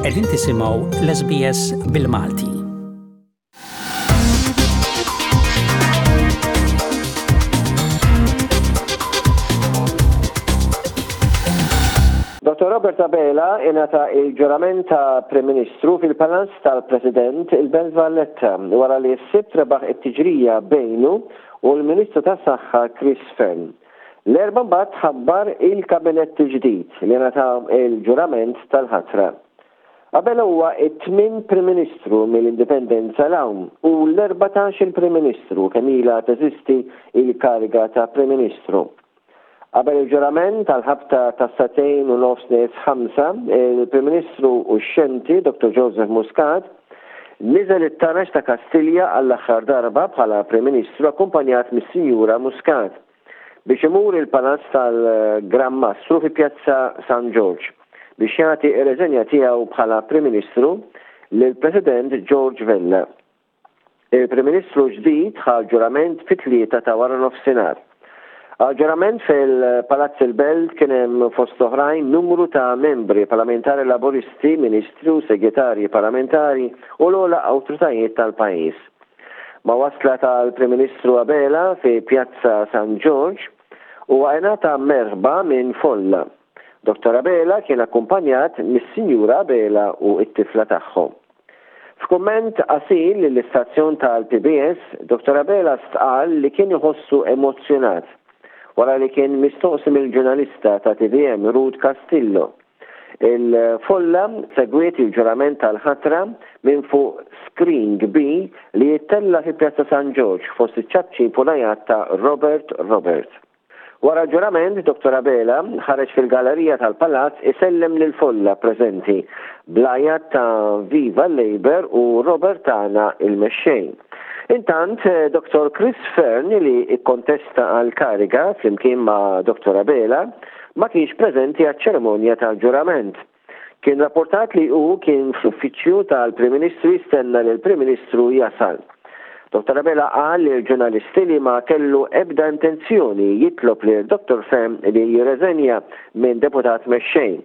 Qegħdin tisimgħu l-SBS bil-Malti. Dr. Robert Abela ingħata il-ġurament ta' Prim Ministru fil-Palazz tal-President il-Belt Valletta wara li s-Sibt rebaħ it-tiġrija bejnu u l-Ministru tas-Saħħa Chris Fearne. L-Erbgħa mbagħad tħabbar il-Kabinett il-ġdid li ngħata l-ġurament tal-ħatra. Abela huwa t-tmien Prim Ministru mill-Indipendenza 'l hawn u l-erbatax-il Prim Ministru kemm ilha teżisti l-kariga ta' Prim Ministru. Qabel il-ġurament għall-ħabta tas-sagħtejn u nofs nieqes ħamsa, il-Prim Ministru uxxenti Dottor Joseph Muscat niżel it-taraġ ta' Kastilja għall-aħħar darba bħala Prim Ministru akkumpanjat mis-Sinjura Muscat biex imur il-Palazz tal-Gran Mastru fi Pjazza San Ġorġ biex jagħti r-reżenja tiegħu bħala Prim Ministru lill-President George Vella. Il-Prim Ministru ġdid ħa l-ġurament fit-tlieta ta' waranofsinhar. Għall-ġurament fil-Palazz il-Belt kien hemm fost oħrajn numru ta' membri parlamentari Laburisti, ministri u segretarji parlamentari u l-ogħla awtoritajiet tal-pajjiż. Ma' wasla tal-Prim Ministru Abela fi Pjazza San Ġorġ, huwa ingħata merħba minn folla. Dottor Abela kien akkumpanjat mis-Sinjura Abela u t-tifla tagħhom. F'kumment qasir lill-istazzjon tal-PBS, Dottor Abela stqarr li kien iħossu emozzjonat wara li kien mistoqsi mill-ġurnalista ta' tvm Ruth Castillo. Il-folla segwiet il-ġurament tal-ħatra minn fuq screen kbir li jittella' fi Pjazza San Ġorġ fost iċ-ċapċip u l-għajat ta' Robert Robert. Wara l-ġurament, Dottor Abela ħareġ fil-gallerija tal-Palazz isellem lill-folla preżenti bl-għajat ta' Viva l-Labour u Robert tagħna il-Mexxej. Intant, Dottor Chris Fearne li kkontesta għall-kariga flimkien ma' Dottor Abela ma kienx preżenti għaċ-ċerimonja tal-ġurament. Kien rapportat li hu kien fl-uffiċċju tal-Prim Ministru jistenna lill-Prim Ministru jasal. Dottor Abela qal lill-ġurnalisti li ma kellu ebda intenzjoni jitlob lil Dottor Fearne li jirreżenja minn Deputat Mexxej.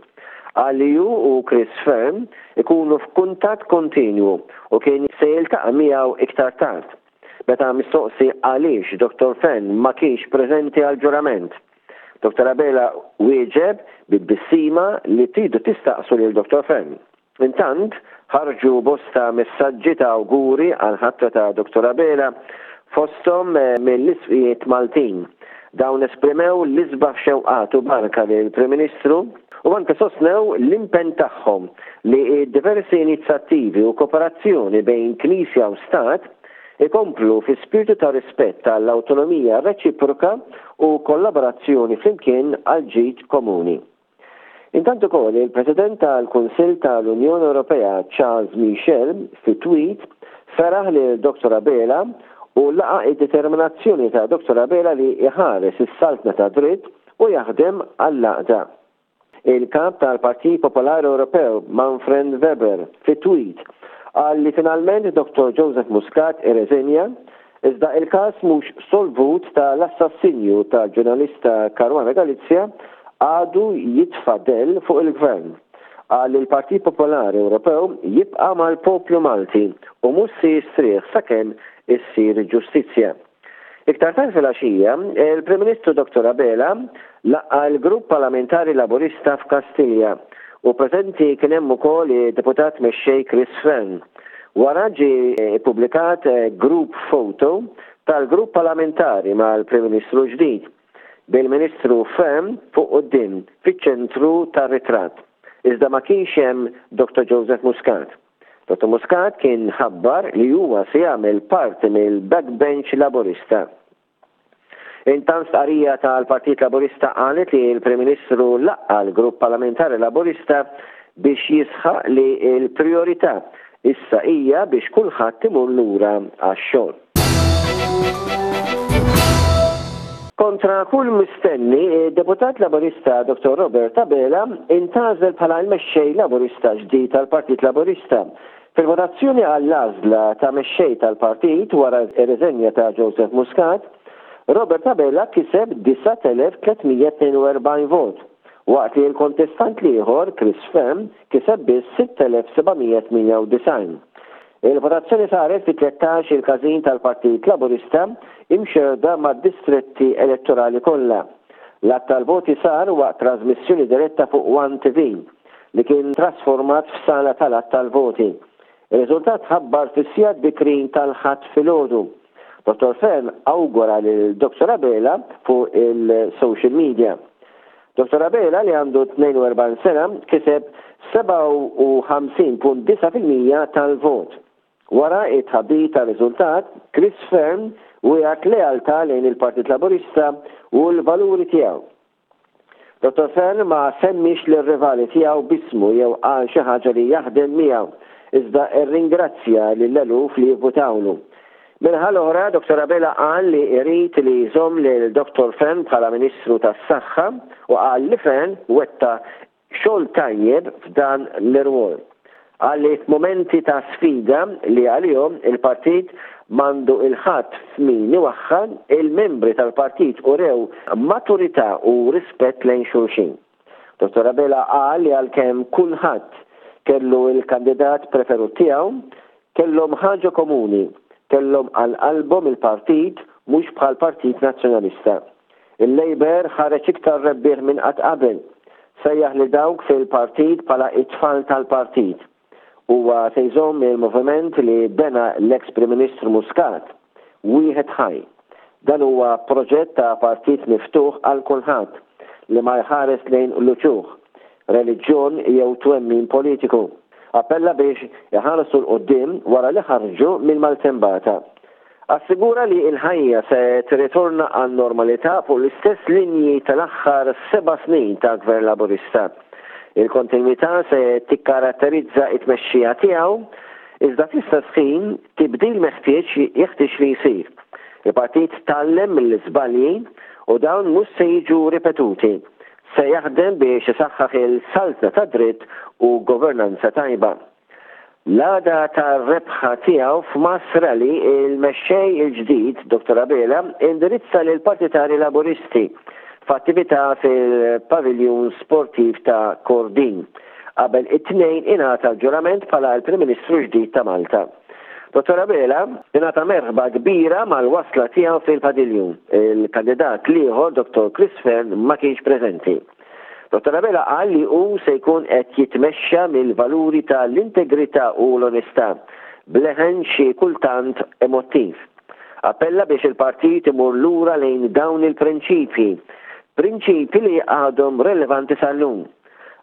Qal li hu u Chris Fearne ikunu f'kuntatt kontinwu u kien se jiltaqa' miegħu iktar tard. Meta mistoqsi għaliex Dottor Fearne ma kienx preżenti għall-ġurament, Dottor Abela wieġeb bi tbissima li tridu tistaqsu lil Dottor Fearne. Intant, ħarġu bosta messaġġi ta' awguri għall-ħatra ta' Dottor Abela, fosthom mill-Isqfijiet Maltin. Dawn esprimew l-isbaħ xewqat u barka lill-Prim Ministru u anke sostnew l-impenn tagħhom li d-diversi inizattivi u koperazzjoni bejn Knisja u Stat ikomplu fi spirtu ta' rispett għall-awtonomija reċiproka u kollaborazzjoni flimkien għall-ġid komuni. Intant ukoll il-President tal-Kunsill tal-Unjoni Ewropea Charles Michel fi tweet feraħ lil Dottor Abela u laqa' id-determinazzjoni ta' Dottor Abela li jħares is-saltna tad-dritt u jaħdem għall-għaqda. Il-Kap tal-Partit Popolari Ewropew, Manfred Weber, fi tweet, qal li finalment Dottor Joseph Muscat irreżenja, iżda il-każ mhux solvut ta' l-assassinju tal-ġurnalista Caruana Galizia għadu jitfa' dell fuq il-Gvern. Qal li l-Partit Popolari Ewropew jibqa' mal-poplu Malti u mhux se jistrieħ sakemm issir ġustizzja. Iktar tard filgħaxija, il-Prim Ministru Dottor Abela laqqa' l-Grupp Parlamentari Laburista f'Kastilja u preżenti kien hemm ukoll id-Deputat Mexxej Chris Fearne. Wara ġie ppubblikat group photo tal-Grupp Parlamentari mal-Prim Ministru l-ġdid, bil-Ministru Fearne fuq quddiem fiċ-ċentru tar-ritratt. Iżda ma kienx hemm Dottor Joseph Muscat. Dottor Muscat kien ħabbar li huwa se jagħmel parti mill-backbench Laburista. Intant stqarrija tal-Partit Laburista qalet li l-Prim Ministru laqqa' l-Grupp Parlamentari Laburista biex jisħaq li l-prijorità issa hija biex kulħadd imur lura għax-xogħol. Kontra kull mistenni, id-Deputat Laburista Dottor Robert Abela intgħażel bħala l-Mexxej Laburista ġdid tal-Partit Laburista fil-votazzjoni għall-għażla ta' Mexxej tal-Partit wara r-riżenja ta' Joseph Muscat. Robert Abela kiseb 9,342 vot. waqt li l-kontestant l-ieħor, Chris Fearne, kiseb biss 6,798. Il-votazzjoni saret fi 13 il-każin tal-Partit Laburista imxerrda mad-distretti elettorali kollha. L-għadd tal-voti sar waqt trażmissjoni diretta fuq One TV, li kien trasformat f'sala tal-għadd tal-voti. Ir-riżultat tħabbar fis-sigħat bikrin tal-Ħadd filgħodu. Dottor Fearne awgura lil Dottor Abela fuq il-social media. Dottor Abela li għandu 42 sena kiseb 57.9% tal-vot. Wara t-tħabbir tar-riżultat, Chris Fearne wiegħed lealtà lejn il-Partit Laburista u l-valuri tiegħu. Dottor Fearne ma semmiex lir-rivali tiegħu b'ismu jew qal xi ħaġa li jaħdem miegħu, iżda rringrazzja lill-eluf li vvutawlu. Min-naħa l-oħra, Dottor Abela qal li jrid li jżomm lil Dottor Fearne bħala Ministru tas-Saħħa u qal li Fearne wettaq xogħol tajjeb f'dan l-irwol. Qal li f'mumenti ta' sfida li għalihom il-partit m'għandu 'l ħadd f'min iwaħħal, il-membri tal-partit urew maturità u rispett lejn xulxin. Dottor Abela qal li għalkemm kulħadd kellu l-kandidat preferut tiegħu, kellhom ħaġa komuni, kellhom għal qalbhom il-partit mhux bħall-Partit Nazzjonalista. Il-Labour ħareġ iktar rebbieħ minn qatt qabel. Sejjaħ lil dawk fil-partit bħala it-tfal tal-partit. Huwa se jżomm il-moviment li bena l-eks Prim Ministru Muscat, wieħed ħaj. Dan huwa proġett ta' partit miftuħ għal kulħadd, li ma jħares lejn l-uċuħ, reliġjon jew twemmin politiku. Appella biex iħarsu 'l quddiem wara li ħarġu mill-maltembata. Assigura li l-ħajja se tirritorna għan-normalità fuq l-istess linji tal-aħħar seba' snin ta' Gvern Laburista. Il-kontinwità se tikkaratterizza t-tmexxija tiegħu, iżda fl-istess ħin tibdil meħtieġ jeħtieġ li jsir. Il-partit tgħallem mill-iżbalji u dawn mhux se jiġu ripetuti. Se jaħdem biex isaħħaħ il-saltna tad-dritt u governanza tajba. L-għada tar-rebħa tiegħu f'mass rally, il-mexxej il-ġdid, Dottor Abela, indirizza lill-partitarji Laburisti f'attività fil-Paviljun Sportiv ta' Kordin qabel it-Tnejn ingħata l-ġurament bħala l-Prim Ministru l-ġdid ta' Malta. Dottor Abela ingħata merħba kbira mal-wasla tiegħu fil-padiljun. Il-kandidat l-ieħor, Dottor Chris Fearne, ma kienx preżenti. Dottor Abela qal li hu se jkun qed jitmexxa mill-valuri ta' l-integrità u l-onestà, b'leħen xi kultant emottiv. Appella biex il-partit imur lura lejn dawn il-prinċipji, prinċipji li għadhom relevanti sal-lum.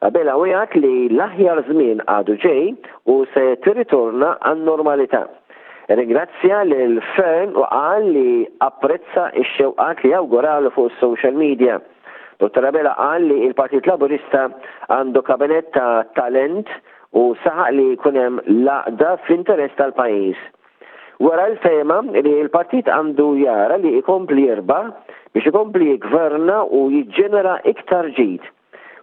Abela wiegħed li l-aħjar żmien għadu ġej u se tirritorna għan-normalità. Irringrazzja lil Fearne u qal li apprezza x-xewqat li awguralu fuq is-social media. Dottor Abela qal li l-Partit Laburista għandu kabinett ta' talent u saħaq li jkun hemm l-għaqda fl-interess tal-pajjiż. Wera l-fehma li l-partit għandu jara li jkompli jirbaħ biex ikompli jiggverna u jiġġenera iktar ġid.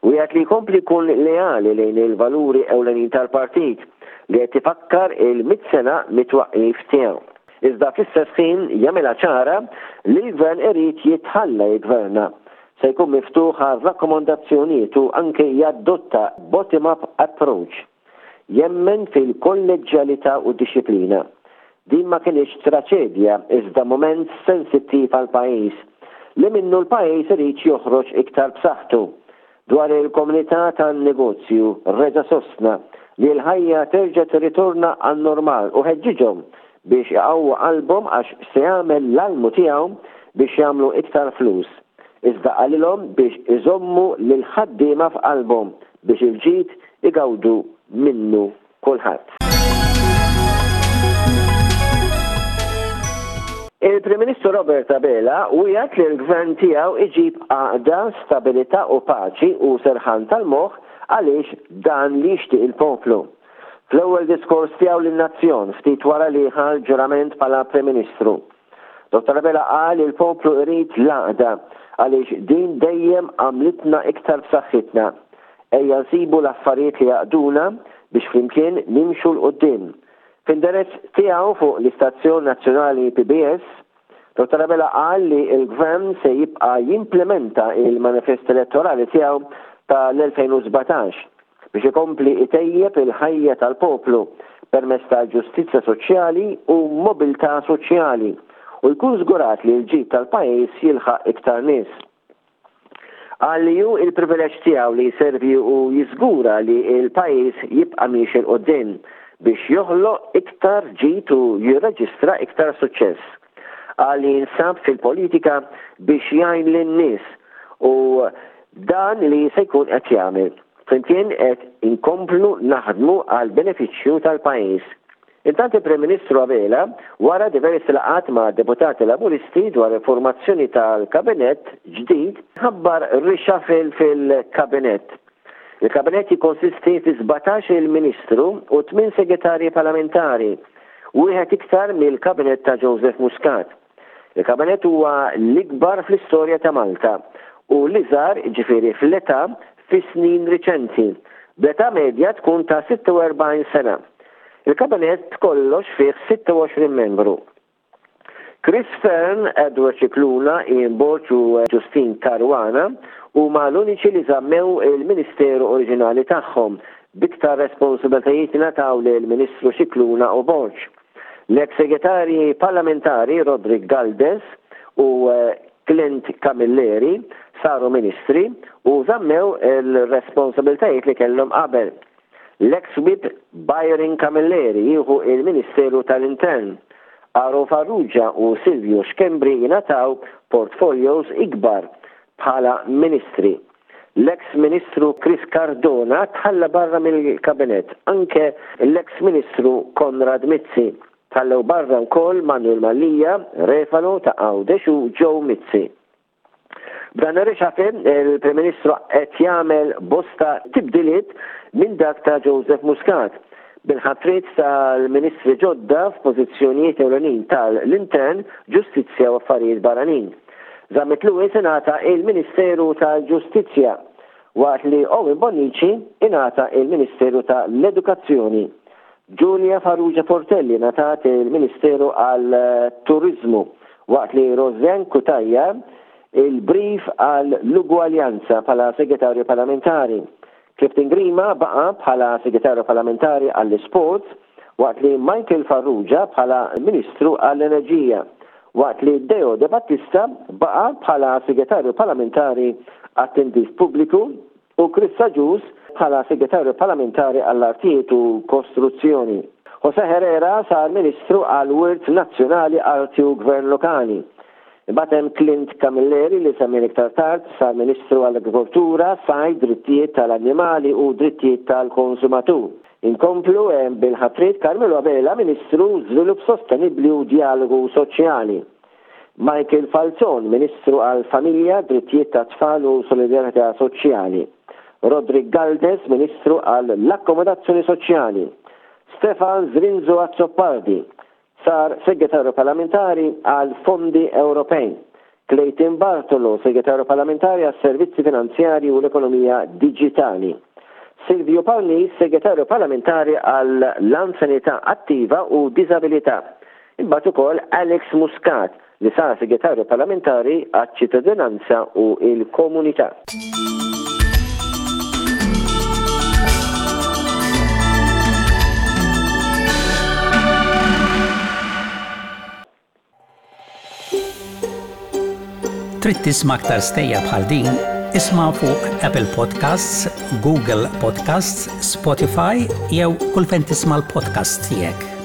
Wiegħed li jkompli jkun leali lejn il-valuri ewlenin tal-partit li qed ifakkar il-mitt sena mit-twaqqif tiegħu. Iżda fl-istess ħin jagħmilha ċara li l-Gvern irid jitħalla jiggverna. Se jkun miftuħ għal rakkomandazzjonijiet u anke jaddotta bottom-up approach. Jemmen fil-kolleġġjalità u d-dixxiplina. Din ma kinitx traċedja iżda mument sensittiv għall-pajjiż, li minnu l-pajjiż irid joħroġ iktar b'saħħtu. Dwar il-komunità tan-negozju reġa' sostna li l-ħajja terġa' tirritorna għan-normal u ħeġġiġhom biex iqawwu qalbhom għax se jagħmel l-almu tiegħu biex jagħmlu iktar flus. Iżda qalilhom biex iżommu lill-ħaddiema f'qalbhom biex il-ġid igawdu minnu kulħadd. Il-Prim Ministru Robert Abela wiegħed li l-Gvern tiegħu iġib għaqda, stabilità u paċi u serħan tal-moħħ għaliex dan li jixtieq il-poplu. Fl-ewwel diskors tiegħu lin-nazzjon ftit wara li ħa l-ġurament bħala Prim Ministru, Dottor Abela qal li l-poplu irid l-għaqda għaliex din dejjem għamlitna iktar b'saħħitna. Ejja nsibu l-affarijiet li jgħaqqduna biex flimkien nimxu 'l quddiem. F'indirezz tiegħu fuq l-istazzjon nazzjonali PBS, Dottor Abela qal li l-Gvern se jibqa' jimplimenta l-manifest elettorali tiegħu. tal-2017 biex ikompli itejjeb il-ħajja tal-poplu permezz ta' ġustizzja soċjali u mobilità soċjali u jkun żgurat li l-ġid tal-pajjiż jilħaq iktar nies. Qal li hu l-privileġġ tiegħu li jservi u jiżgura li l-pajjiż jibqa' miexi 'l quddiem biex joħloq iktar ġid u jirreġistra iktar suċċess. Qal li jinsab fil-politika biex jgħin lin-nies u dan li se jkun qed jagħmel. Flimkien qed inkomplu naħdmu għall-benefiċċju tal-pajjiż. Intant il-Prim Ministru Abela, wara diversi laqgħat ma' deputati Laburisti dwar il-formazzjoni tal-Kabinett ġdid, ħabbar reshuffle fil-Kabinett. Il-Kabinett jikkonsisti fi 17-il Ministru u tmien Segretarji Parlamentari, wieħed iktar mill-Kabinett ta' Joseph Muscat. Il-Kabinett huwa l-ikbar fl-istorja ta' Malta u l-iżgħar, jiġifieri fl-età, fis-snin riċenti, bl-età medja tkun ta' 46 sena. Il-Kabinett b'kollox fih 26 membru. Chris Fearne, Edward Scicluna, Ian Borg u Justyne Caruana huma l-uniċi li żammew il-ministeru oriġinali tagħhom, b'iktar responsabilitajiet ingħataw lill-Ministru Scicluna u Borg. L-eks Segretarji Parlamentari Roderick Galdes u Clint Camilleri saru Ministri u żammew il-responsabilitajiet li kellhom qabel. L-eks Whip Byron Camilleri jieħu il-Ministeru tal-Intern. Aaron Farrugia u Silvio Schembri jingħataw portfolios ikbar bħala Ministri. L-eks Ministru Chris Cardona tħalla barra mill-Kabinett, anke l-eks Ministru Konrad Mizzi. Tħallew barra wkoll Manuel Mallia, Refalo ta' Għawdex u Joe Mizzi. B'dan ir-reshuffle, il-Prim Ministru qed jagħmel bosta tibdiliet minn dak ta' Joseph Muscat, bil-ħatriet tal-Ministri ġodda f'pożizzjonijiet ewlenin tal-Intern, Ġustizzja u Affarijiet Barranin. Zammit Lewis ingħata il-Ministeru tal-Ġustizzja, waqt li Owen Bonnici ingħata il-Ministeru ta' l-Edukazzjoni. Julia Farrugia Portelli ngħatat il-Ministeru għal-Turiżmu, waqt li Rosianne Cutajar il-brief għall-Ugwaljanza bħala Segretarju Parlamentari. Clifton Grima baqa' bħala Segretarju Parlamentari għall-Isports waqt li Michael Farrugia bħala Ministru għall-Enerġija, waqt li Deo Debattista baqa' bħala Segretarju Parlamentari għat-Tindif Pubbliku u Chris Agius bħala Segretarju Parlamentari għall-Artijiet u Kostruzzjoni. José Herrera sar Ministru għall-Wirt Nazzjonali, Arti u Gvern Lokali. Imbagħad hemm Clint Camilleri li semmejna iktar tard, sar Ministru għall-Agrikoltura, Sajd, Drittijiet tal-Annimali u Drittijiet tal-Konsumatur. Inkomplu bil-ħatriet Carmelo Abela Ministru Żvilupp Sostenibbli u Djalogu Soċjali. Michael Falzon Ministru għall-Familja, Drittijiet tat-Tfal u Solidarjetà Soċjali. Roderick Galdes Ministru għall-Akkomodazzjoni Soċjali. Stefan Zrinzo Azzopardi Sar Segretarju Parlamentari għal Fondi Ewropej. Clayton Bartolo, Segretarju Parlamentari għas-Servizzi Finanzjarji u l-Ekonomija Diġitali. Silvio Parnis, Segretarju Parlamentari għal l-Anzjanità Attiva u Diżabilità. Imbagħad ukoll Alex Muscat, li sar Segretarju Parlamentari għaċ-Ċittadinanza u l-Komunità. Trid tisma' aktar stejjer bħal din? Isma' fuq Apple Podcasts, Google Podcasts, Spotify jew kull fejn tisma' l-podcasts tiegħek.